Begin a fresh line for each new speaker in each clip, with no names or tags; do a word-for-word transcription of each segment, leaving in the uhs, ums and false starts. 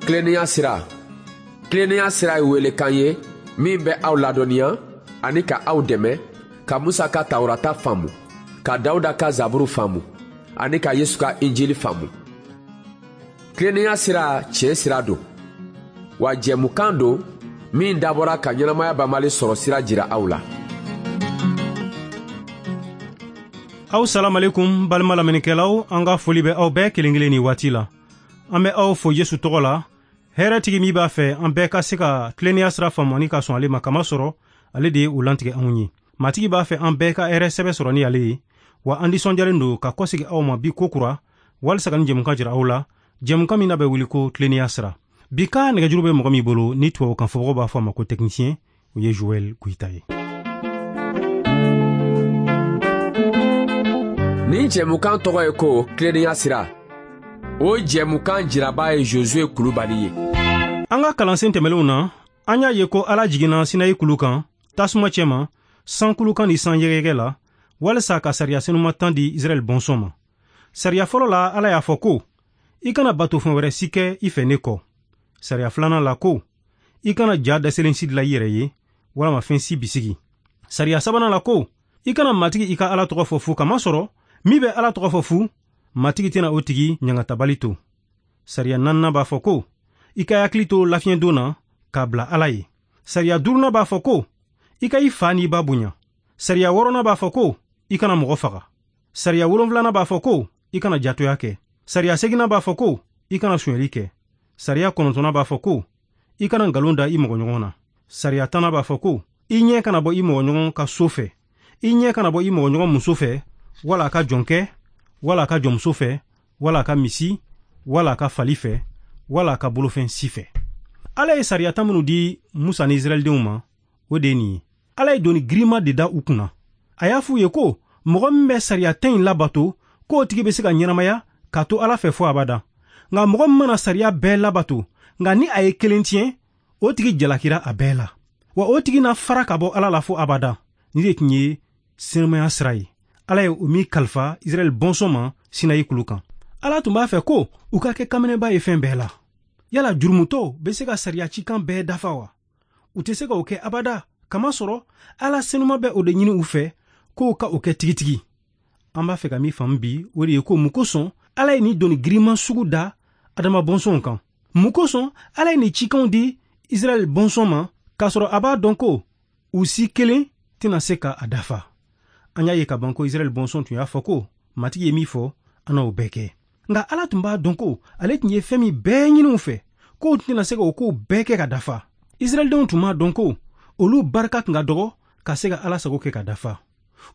Tilennenya sira. Tilennenya sira ye welekan ye min bɛ aw ladɔnniya ani ka aw dɛmɛ ka Musa ka Tawurata faamu, ka Dawuda ka Zaburu faamu ani ka Yesu ka Injili faamu. Tilennenya sira tiɲɛ sira don, wa jɛmukan don min dabɔra ka ɲɛnamaya banbali sɔrɔ sira jira aw la.
Aw salamalekum balima lamɛnnikɛlaw, an ka foli bɛ aw bɛɛ kelen kelen ni waati la. An bɛ aw fo Yesu tɔgɔ la, hɛrɛtigi min b'a fɛ an bɛɛ ka se ka tilennenya sira faamu ani ka sɔn ale ma, kamasɔrɔ ale de ye o lantigɛ anw ye. Matigi b'a fɛ an bɛɛ ka hɛrɛ sɛbɛ sɔrɔ ni ale ye, wa an nisɔndiyalen don ka kɔsegi aw ma bi kokura walisa ka nin jɛmukan jira aw la, jɛmukan min n'a bɛ wuli ko tilennenya sira. Bi ka nɛgɛjuru bɛ mɔgɔ min bolo ni tubabukan fɔbagaw b'a fɔ a ma ko technicien, o ye Joël Goïta ye.
Nin jɛmukan tɔgɔ ye ko tilennenya sira. O jɛmukan jiraba ye Josué Kulubali ye.
An ka kalansen tɛmɛnlenw na, an y'a ye ko Ala jiginna Sinayi kulu kan, tasuma cɛma, sankulu kan ni san yɛgɛyɛgɛ la, walisa ka sariya senuma tan di Israɛl bɔnsɔn ma. Sariya fɔlɔ la, Ala y'a fɔ ko i kana batofɛn wɛrɛ si kɛ i fɛ ne kɔ. Sariya filanan la ko i kana ja dɛsɛlen si dilan i yɛrɛ ye, walama fɛn si bisigi. Sariya sabanan la ko i kana Matigi i ka Ala tɔgɔ fɔ fu, kamasɔrɔ min bɛ Ala tɔgɔ fɔ fu, Matigi tɛna o tigi ɲangatabali to. Sariya naaninan b'a fɔ ko i ka hakili to lafiɲɛdon na k'a bila Ala ye. Sariya duurunan b'a fɔ ko i ka i fa n'i ba bonya. Sariya wɔɔrɔnan b'a fɔ ko i kana mɔgɔ faga. Sariya wolonfilanan b'a fɔ ko i kana jatoya kɛ. Sariya seginnan b'a fɔ ko i kana sonyɛli kɛ. Sariya kɔnɔntɔnnan b'a fɔ ko i kana nkalon da i mɔgɔɲɔgɔn na. Sariya tannan b'a fɔ ko i ɲɛ kana bɔ i mɔgɔɲɔgɔn ka so fɛ, i ɲɛ kana bɔ i mɔgɔɲɔgɔn muso fɛ, wala a ka jɔnkɛ, wala a ka jɔnmuso fɛ, wala a ka misi, wala a ka fali fɛ, wala a ka bolofɛn si fɛ. Ala ye sariya tan minnu di Musa ni Israɛldenw ma, o de ye nin ye. Ala ye doni girinma de da u kunna. A y'a f'u ye ko mɔgɔ min bɛ sariya tan in labato, k'o tigi bɛ se ka ɲɛnamaya k'a to Ala fɛ fo abada. Nka mɔgɔ min mana sariya bɛɛ labato, nka ni a ye kelen tiɲɛ, o tigi jalakira a bɛɛ la. Wa o tigi na fara ka bɔ Ala la fo abada. Nin de tun ye senumaya sira ye. Ala ye o min kalifa Israɛl bɔnsɔn ma Sinayi kulu kan. Ala tun b'a fɛ ko u ka kɛ kameneba ye fɛn bɛɛ la. Yala jurumutɔw bɛ se ka sariya cikan bɛɛ dafa wa? U tɛ se ka o kɛ abada, kamasɔrɔ Ala senuma bɛ o de ɲini u fɛ k'o ka o kɛ tigitigi. An b'a fɛ ka min faamu bi, o de ye ko mun kosɔn Ala ye nin doni girinman sugu da Adama bɔnsɔnw kan. Mun kosɔn Ala ye nin cikanw di Israɛl bɔnsɔn ma, k'a sɔrɔ a b'a dɔn ko u si kelen tɛna se ka a dafa. An y'a ye ka ban ko Israɛl bɔnsɔn tun y'a fɔ ko Matigi ye min fɔ, an n'o bɛɛ kɛ. Nka Ala tun b'a dɔn ko ale tun ye fɛn min bɛɛ ɲini u fɛ, k'o tɛna se ka o kow bɛɛ kɛ ka dafa. Israɛldenw tun m'a dɔn ko olu barika tun ka dɔgɔ ka se ka Ala sago kɛ ka dafa.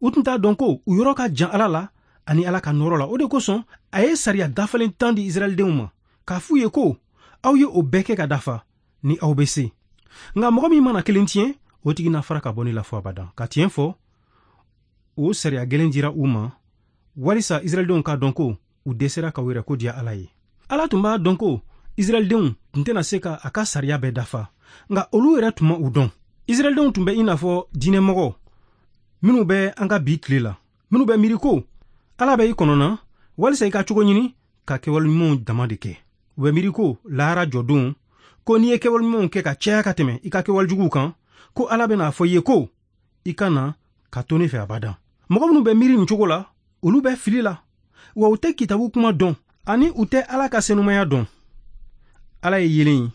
U tun t'a dɔn ko u yɔrɔ ka jan Ala la ani Ala ka nɔrɔ la. O de kosɔn a ye sariya dafalen tan di Israɛldenw ma, k'a f'u ye ko aw ye o bɛɛ kɛ ka dafa ni aw bɛ se. Nka mɔgɔ min mana kelen tiɲɛ, o tigi na fara ka bɔ ne la fo abada. Ka tiɲɛ fɔ, o sariya gɛlɛn dira u ma walisa Israɛldenw k'a dɔn ko u dɛsɛra ka u yɛrɛ ko diya Ala ye. Ala tun b'a dɔn ko Israɛldenw tun tɛna se ka a ka sariya bɛɛ dafa, nka olu yɛrɛ tun ma u dɔn. Israɛldenw tun bɛ i n'a fɔ diinɛmɔgɔ minnu bɛ an ka bi tile la, minnu bɛ miiri ko Ala bɛ i kɔnɔ na walisa i ka cogo ɲini ka kɛwale ɲumanw dama de kɛ. U bɛ miiri ko lahara jɔdon, ko n'i ye kɛwale ɲumanw kɛ ka caya ka tɛmɛ i ka kɛwale juguw kan, ko Ala bɛna fɔ i ye ko i ka na ka to ne fɛ abada. Mɔgɔ minnu bɛ miiri nin cogo la, olu bɛ fili la, wa u tɛ kitabu kuma dɔn ani u tɛ Ala ka senumaya dɔn. Ala ye yelen ye,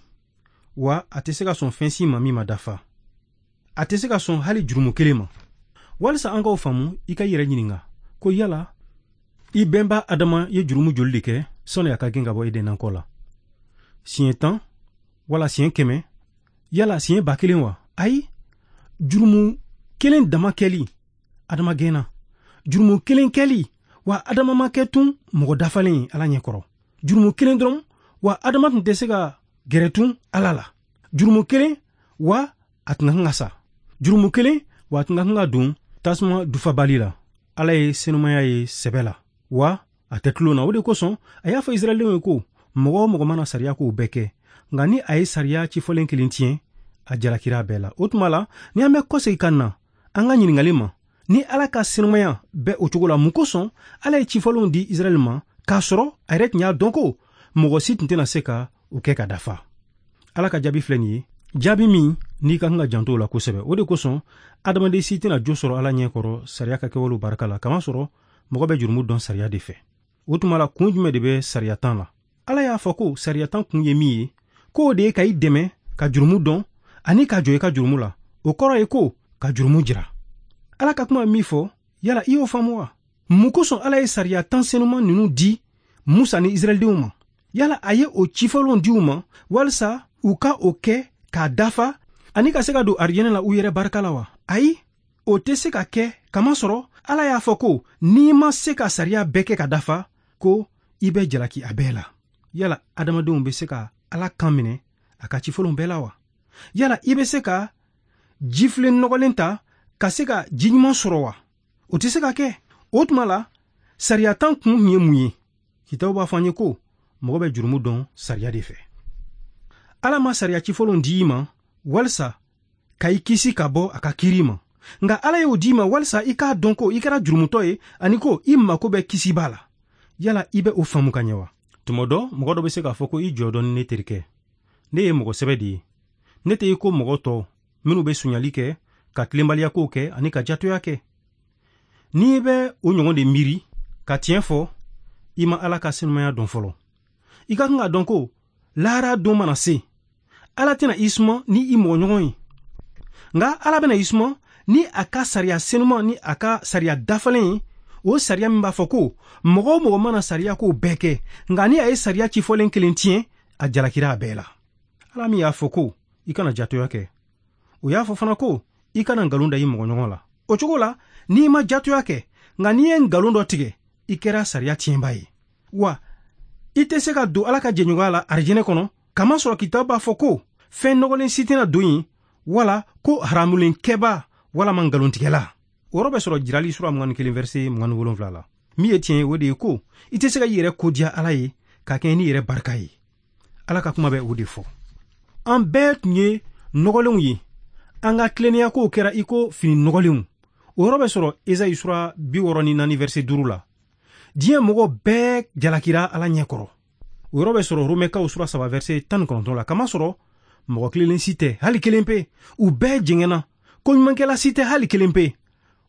wa a tɛ se ka sɔn fɛn si ma min ma dafa. A tɛ se ka sɔn hali jurumu kelen ma. Walisa an k'o faamu, i ka i yɛrɛ ɲininka ko yala i bɛnba Adama ye jurumu joli de kɛ sɔnni a ka gɛn ka bɔ Eden nakɔ la? Siɲɛ tan wala siɲɛ kɛmɛ, yala siɲɛ ba kelen wa? Ayi, jurumu kelen dama kɛli Adama gɛnna. Jurumu kelen kɛli wa Adama ma kɛ tun mɔgɔ dafalen ye Ala ɲɛkɔrɔ. Jurumu kelen dɔrɔn wa Adama tun tɛ se ka gɛrɛ tun Ala la. Jurumu kelen wa a tun ka kan ka sa. Jurumu kelen wa a tun ka kan ka don tasuma dufabali la. Ala ye senumaya ye sɛbɛ la, wa a tɛ tulon na. O de kosɔn a y'a fɔ Israɛldenw ye ko mɔgɔ o mɔgɔ mana sariya k'o bɛɛ kɛ, nka ni a ye sariya cifɔlen kelen tiɲɛ, a jalakira bɛɛ la. O tuma la, ni an bɛ kɔsegin ka na an ka ɲininkali ma, ni Ala ka senumaya bɛ o cogo la, mun kosɔn Ala ye cifɔlenw di Israɛl ma k'a sɔrɔ a yɛrɛ tun y'a dɔn ko mɔgɔ si tun tɛna se ka o kɛ ka dafa? Ala ka jaabi filɛ nin ye, jaabi min n'i ka kan ka janto o la kosɛbɛ. O de kosɔn adamaden si tɛna jo sɔrɔ Ala ɲɛ kɔrɔ sariya ka kɛwalew barika la, kamasɔrɔ mɔgɔ bɛ jurumu dɔn sariya de fɛ. O tuma la, kun jumɛn de bɛ sariya tan la? Ala y'a fɔ ko sariya tan kun ye min ye, k'o de ye ka i dɛmɛ ka jurumu dɔn ani ka jɔ i ka jurumu la. O kɔrɔ ye ko ka jurumu jira. Ala ka kuma min fɔ, yala i y'o faamu wa? Mun kosɔn Ala ye sariya tan senuman ninnu di Musa ni Israɛldenw ma? Yala a ye o cifɔlenw di u ma walisa u ka o kɛ k'a dafa ani ka se ka don arijɛnɛ la u yɛrɛ barika la wa? Ayi, o tɛ se ka kɛ, kamasɔrɔ Ala y'a fɔ ko n'i ma se ka sariya bɛɛ kɛ ka dafa, ko i bɛ jalaki a bɛɛ la. Yala adamadenw bɛ se ka Ala kan minɛ a ka cifɔlenw bɛɛ la wa? Yala i bɛ se ka jifilen nɔgɔlen ta ka se ka ji ɲuman sɔrɔ wa? O tɛ se ka kɛ. O tuma la, sariya tan kun tun ye mun ye? Kitabu b'a fɔ an ye ko mɔgɔ bɛ jurumu dɔn sariya de fɛ. Ala ma sariya cifɔlenw di i ma walisa ka i kisi ka bɔ a ka kiiri ma, nka Ala y'o di i ma walisa i k'a dɔn ko i kɛra jurumutɔ ye ani ko i mako bɛ kisiba la. Yala i bɛ o faamu ka ɲɛ wa? Tuma dɔ, mɔgɔ dɔ bɛ se k'a fɔ ko i jɔ dɔɔni ne terikɛ, ne ye mɔgɔ sɛbɛ de ye, ne tɛ i ko mɔgɔ tɔw minnu bɛ sonyali kɛ, ka tilenbaliyakow kɛ ani ka jatoya kɛ. N'i bɛ o ɲɔgɔn de miiri ka tiɲɛ fɔ, i ma Ala ka senumaya dɔn fɔlɔ. I ka kan k'a dɔn ko lahara don mana se, Ala tɛna i suma ni i mɔgɔɲɔgɔn ye, nka Ala bɛna i suma ni a ka sariya senuman ni a ka sariya dafalen ye. O sariya min b'a fɔ ko mɔgɔ o mɔgɔ mana sariya kow bɛɛ kɛ, nka ni a ye sariya cifɔlen kelen tiɲɛ, a jalakira a bɛɛ la. Ala min y'a fɔ ko i kana jatoya kɛ, o y'a fɔ fana ko i kana nkalon da i mɔgɔɲɔgɔn la. O cogo la, n'i ma jatoya kɛ, nka n'i ye nkalon dɔ tigɛ, i kɛra sariya tiɲɛba ye. Wa i tɛ se ka don Ala ka jɛɲɔgɔnya la arijɛnɛ kɔnɔ, kamasɔrɔ kitabu b'a fɔ ko fɛn nɔgɔlen si tɛna don yen, wala ko haramulenkɛba walama nkalontigɛla. O yɔrɔ bɛ sɔrɔ Jirali sura mugan ni kelen verset mugan ni wolonwula la. Min ye tiɲɛ ye, o de ye ko i tɛ se ka i yɛrɛ kodiya Ala ye ka kɛɲɛ n'i yɛrɛ barika ye. Ala ka kuma bɛ o de fɔ. An bɛɛ tun ye nɔgɔlenw ye, an ka tilennenya kow kɛra i ko fini nɔgɔlenw. O yɔrɔ bɛ sɔrɔ Ezayi sura bi wɔɔrɔ ni naani verset duuru la. Diɲɛ mɔgɔ bɛɛ jalakira Ala ɲɛ kɔrɔ. O yɔrɔ bɛ sɔrɔ Romɛkaw sura saba verset tan ni kɔnɔntɔn la. Kamasɔrɔ mɔgɔ kelenlen si tɛ, hali kelen pe. U bɛɛ jɛngɛnna, ko ɲumankɛla si tɛ, hali kelen pe.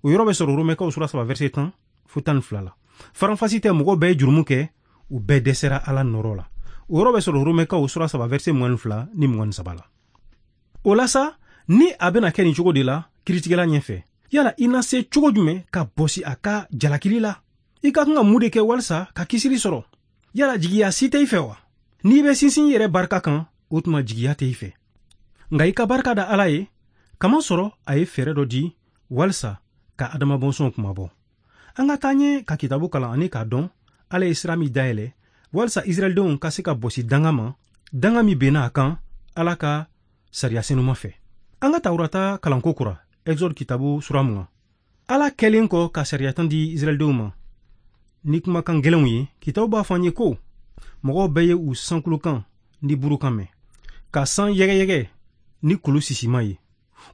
O yɔrɔ bɛ sɔrɔ Romɛkaw sura saba verset tan fo tan ni fila la. Faranfasi tɛ, mɔgɔ bɛɛ ye jurumu kɛ, u bɛɛ dɛsɛra Ala nɔrɔ la. O yɔrɔ bɛ sɔrɔ Romɛkaw sura saba verset mugan ni fila ni mugan ni saba la. O la sa, ni a bɛna kɛ nin cogo de la kiritigɛla ɲɛfɛ, yala i na se cogo jumɛn ka bɔsi a ka jalakili la? I ka kan ka mun de kɛ walisa ka kisili sɔrɔ? Yala jigiya si tɛ i fɛ wa? N'i bɛ sinsin i yɛrɛ barika kan, o tuma jigiya tɛ i fɛ. Nka i ka barika da Ala ye, kamasɔrɔ a ye fɛɛrɛ dɔ di walisa ka Adama bɔnsɔnw kunmabɔ. An ka taa ɲɛ ka kitabu kalan ani k'a dɔn Ala ye sira min dayɛlɛ walisa Israɛldenw ka se ka bɔsi danga ma, danga min benna a kan Ala ka sariya senuma fɛ. An ka Tawurata kalanko kura, Exode kitabu sura mugan. Ala kɛlen kɔ ka sariya tan di Israɛldenw ma ni kumakan gɛlɛnw ye, kitabu b'a fɔ an ye ko mɔgɔw bɛɛ ye u sankulukan ni burukan mɛn, ka san yɛgɛyɛgɛ ni kulu sisima ye.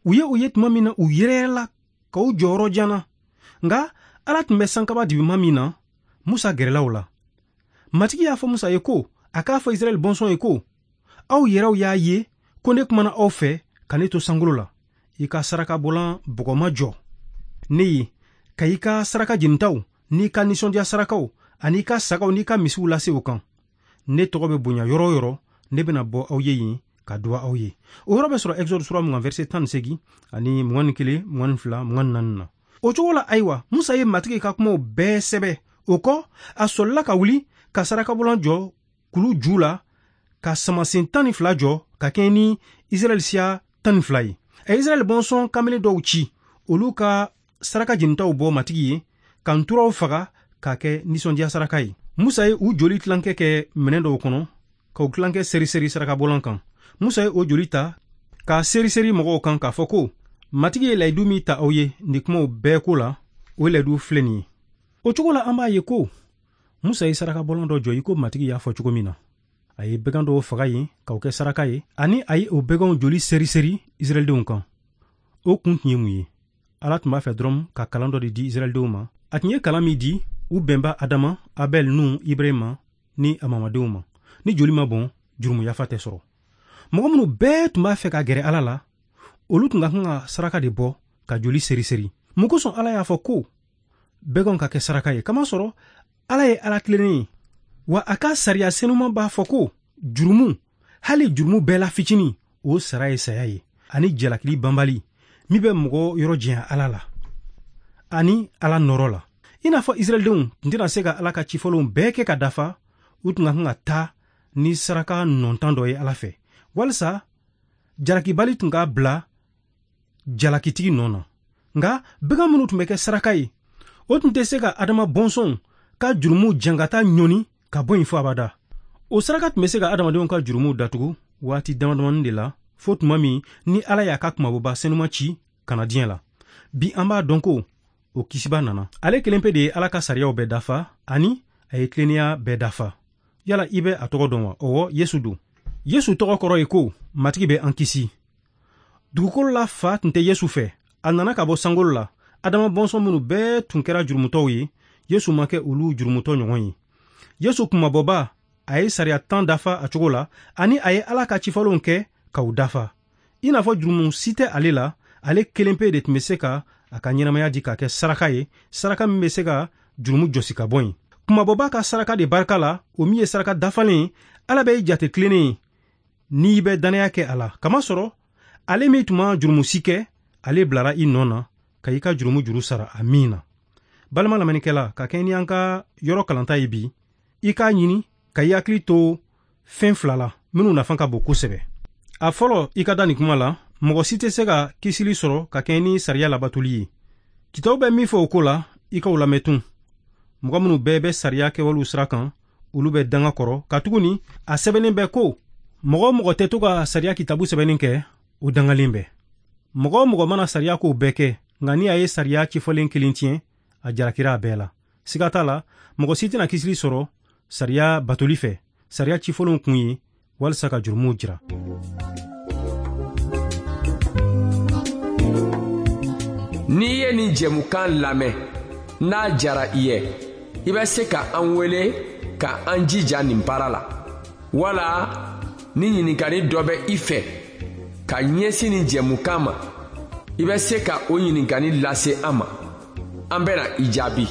U ye o ye tuma min na, u yɛrɛyɛrɛla ka u jɔyɔrɔ jana. Nka Ala tun bɛ sankaba dibima min na, Musa gɛrɛla o la. Matigi y'a fɔ Musa ye ko a k'a fɔ Israɛl bɔnsɔn ye ko aw yɛrɛw y'a ye ko ne kumana aw fɛ ka ne to sankolo la. I ka sarakabɔlan bɔgɔma jɔ ne ye, ka i ka saraka jenitaw n'i ka nisɔndiya sarakaw ani i ka sagaw n'i ka misiw lase o kan. Ne tɔgɔ bɛ bonya yɔrɔ o yɔrɔ, ne bɛna bɔ aw ye yen ka duwa aw ye. O yɔrɔ bɛ sɔrɔ Exode sura mugan verset tan ni seegin ani mugan ni kelen, mugan ni fila, mugan ni naani na. O cogo la, ayiwa, Musa ye Matigi ka kumaw bɛɛ sɛbɛ. O kɔ, a sɔlila ka wuli ka sarakabɔlan jɔ kulu ju la, ka samasen tan ni fila jɔ ka kɛɲɛ ni Israɛl siya tan ni fila ye. A ye Israɛl bɔnsɔn kamalen dɔw ci, olu ka saraka jenitaw bɔ Matigi ye, ka nturaw faga k'a kɛ nisɔndiya saraka ye. Musa ye u joli tilankɛ kɛ minɛn dɔw kɔnɔ, k'o tilankɛ seri-seri sarakabɔlan kan. Musa ye o joli ta k'a seri-seri mɔgɔw kan k'a fɔ ko Matigi ye layidu min ta aw ye nin kumaw bɛɛ ko la, o layidu filɛ nin ye. O cogo la, an b'a ye ko Musa ye sarakabɔlan dɔ jɔ i ko Matigi y'a fɔ cogo min na. A ye bagan dɔw faga yen k'o kɛ saraka ye, ani a ye o baganw joli seri-seri Israɛldenw kan. O kun tun ye mun ye? Ala tun b'a fɛ dɔrɔn ka kalan dɔ de di Israɛldenw ma. A tun ye kalan min di u bɛnba Adama, Abɛl, Nuhu, Ibrahima ni a mamadenw ma. Ni joli ma bɔn, jurumu yafa tɛ sɔrɔ. Mɔgɔ minnu bɛɛ tun b'a fɛ ka gɛrɛ Ala la, olu tun ka kan ka saraka de bɔ ka joli seri-seri. Mun kosɔn Ala y'a fɔ ko baganw ka kɛ saraka ye? Kamasɔrɔ Ala ye Ala tilennen ye, wa a ka sariya senuman b'a fɔ ko jurumu, hali jurumu bɛɛ la fitinin, o sara ye saya ye, ani jalakili banbali min bɛ mɔgɔ yɔrɔ janya Ala la ani Ala nɔrɔ la. I n'a fɔ Israɛldenw tun tɛna se ka Ala ka cifɔlenw bɛɛ kɛ ka dafa, u tun ka kan ka taa ni saraka nɔntan dɔ ye Ala fɛ, walisa jalakibali tun ka bila jalakitigi nɔ na. Nka bagan minnu tun bɛ kɛ saraka ye, o tun tɛ se ka Adama bɔnsɔnw ka jurumu jangata ɲɔni ka bɔ yen fo abada. O saraka tun bɛ se ka adamadenw ka jurumuw datugu waati damadamanin de la, fo tuma min ni Ala y'a ka kumabɔba senuma ci ka na diɲɛ la. Bi an b'a dɔn ko o kisiba nana. Ale kelen pe de ye Ala ka sariyaw bɛɛ dafa, ani a ye tilennenya bɛɛ dafa. Yala i bɛ a tɔgɔ dɔn wa? Ɔwɔ, Yesu don. Yesu tɔgɔ kɔrɔ ye ko Matigi bɛ an kisi. Dugukolo la fa tun tɛ Yesu fɛ. A nana ka bɔ sankolo la. Adama bɔnsɔn minnu bɛɛ tun kɛra jurumutɔw ye, Yesu ma kɛ olu jurumutɔ ɲɔgɔn ye. Yesu kunmabɔba, a ye sariya tan dafa a cogo la, ani a ye Ala ka cifɔlenw kɛ k'u dafa. I n'a fɔ jurumu si tɛ ale la, ale kelen pe de tun bɛ se ka a ka ɲɛnamaya di k'a kɛ saraka ye, saraka min bɛ se ka jurumu jɔsi ka bɔ yen. Kunmabɔba ka saraka de barika la, o min ye saraka dafalen ye, Ala bɛ i jate tilennen ye n'i bɛ dannaya kɛ a la. Kamasɔrɔ ale min tun ma jurumu si kɛ, ale bilara i nɔ na ka i ka jurumu juru sara a min na. Balima lamɛnnikɛla, ka kɛ ni an ka yɔrɔ kalanta ye bi, i k'a ɲini ka i hakili to fɛn fila la minnu nafa ka bon kosɛbɛ. A fɔlɔ, i ka da nin kuma la, mɔgɔ si tɛ se ka kisili sɔrɔ ka kɛ ni sariya labatoli ye. Kitabu bɛ min fɔ o ko la, i k'o lamɛn tun. Mɔgɔ minnu bɛɛ bɛ sariya kɛwalew sira kan, olu bɛ danga kɔrɔ, katuguni a sɛbɛnnen bɛ ko mɔgɔ o mɔgɔ tɛ to ka sariya kitabu sɛbɛnni kɛ, o dangalen bɛ. Mɔgɔ o mɔgɔ mana sariya kow bɛɛ kɛ, nka ni a ye sariya cifɔlen kelen tiɲɛ, a jalakira a bɛɛ la. Siga t'a la, mɔgɔ si tɛna kisili sɔrɔ sariya batoli fɛ. Sariya cifɔlenw kun ye walisa ka jurumuw jira.
N'i ye nin jɛmukan lamɛn, n'a jara i ye, i bɛ se ka an wele ka an jija nin baara la. Wala ni ɲininkali dɔ bɛ i fɛ ka ɲɛsin nin jɛmukan ma, i bɛ se ka o ɲininkali lase an ma. An bɛna i jaabi.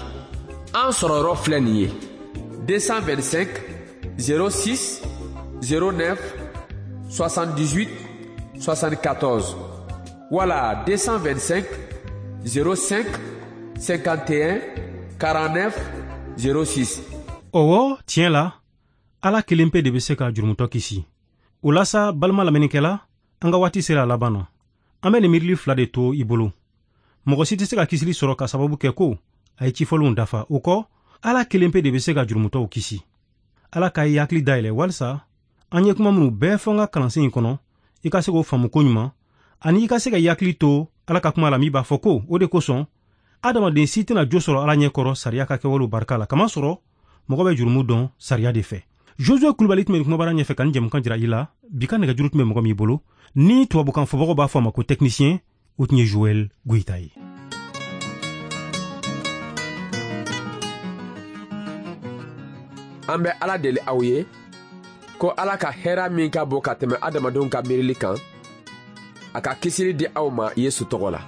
An sɔrɔ yɔrɔ filɛ nin ye: deux cent vingt-cinq zéro six zéro neuf soixante-dix-huit soixante-quatorze wala deux cent vingt-cinq zéro cinq cinquante et un quarante-neuf zéro six.
Ɔwɔ, tiɲɛ la, Ala kelen pe de bɛ se ka jurumutɔ kisi. O la sa, balima lamɛnnikɛla, an ka waati sera a laban na. An bɛ nin miirili fila de to i bolo. Mɔgɔ si tɛ se ka kisili sɔrɔ ka sababu kɛ ko a ye cifɔlenw dafa. O kɔ, Ala kelen pe de bɛ se ka jurumutɔw kisi. Ala ka i hakili dayɛlɛ walisa an ye kuma minnu bɛɛ fɔ n ka kalansen in kɔnɔ, i ka se k'o faamu koɲuman, ani i ka se ka i hakili to Ala ka kuma la min b'a fɔ ko o de kosɔn adamaden si tɛna jo sɔrɔ Ala ɲɛkɔrɔ sariya ka kɛwalew barika la, kamasɔrɔ mɔgɔ bɛ jurumu dɔn sariya de fɛ. Josue Kulubali tun bɛ kumabara ɲɛfɛ ka nin jɛmukan jira i la. Bi ka nɛgɛjuru tun bɛ mɔgɔ min bolo, ni tubabukan fɔbagaw b'a fɔ a ma ko technicien, o tun ye Joël Goïta ye.
An bɛ Ala deli aw ye ko Ala ka hɛrɛ min ka bon ka tɛmɛ adamadenw ka miirili kan, a ka kisili di aw ma Yesu tɔgɔ la.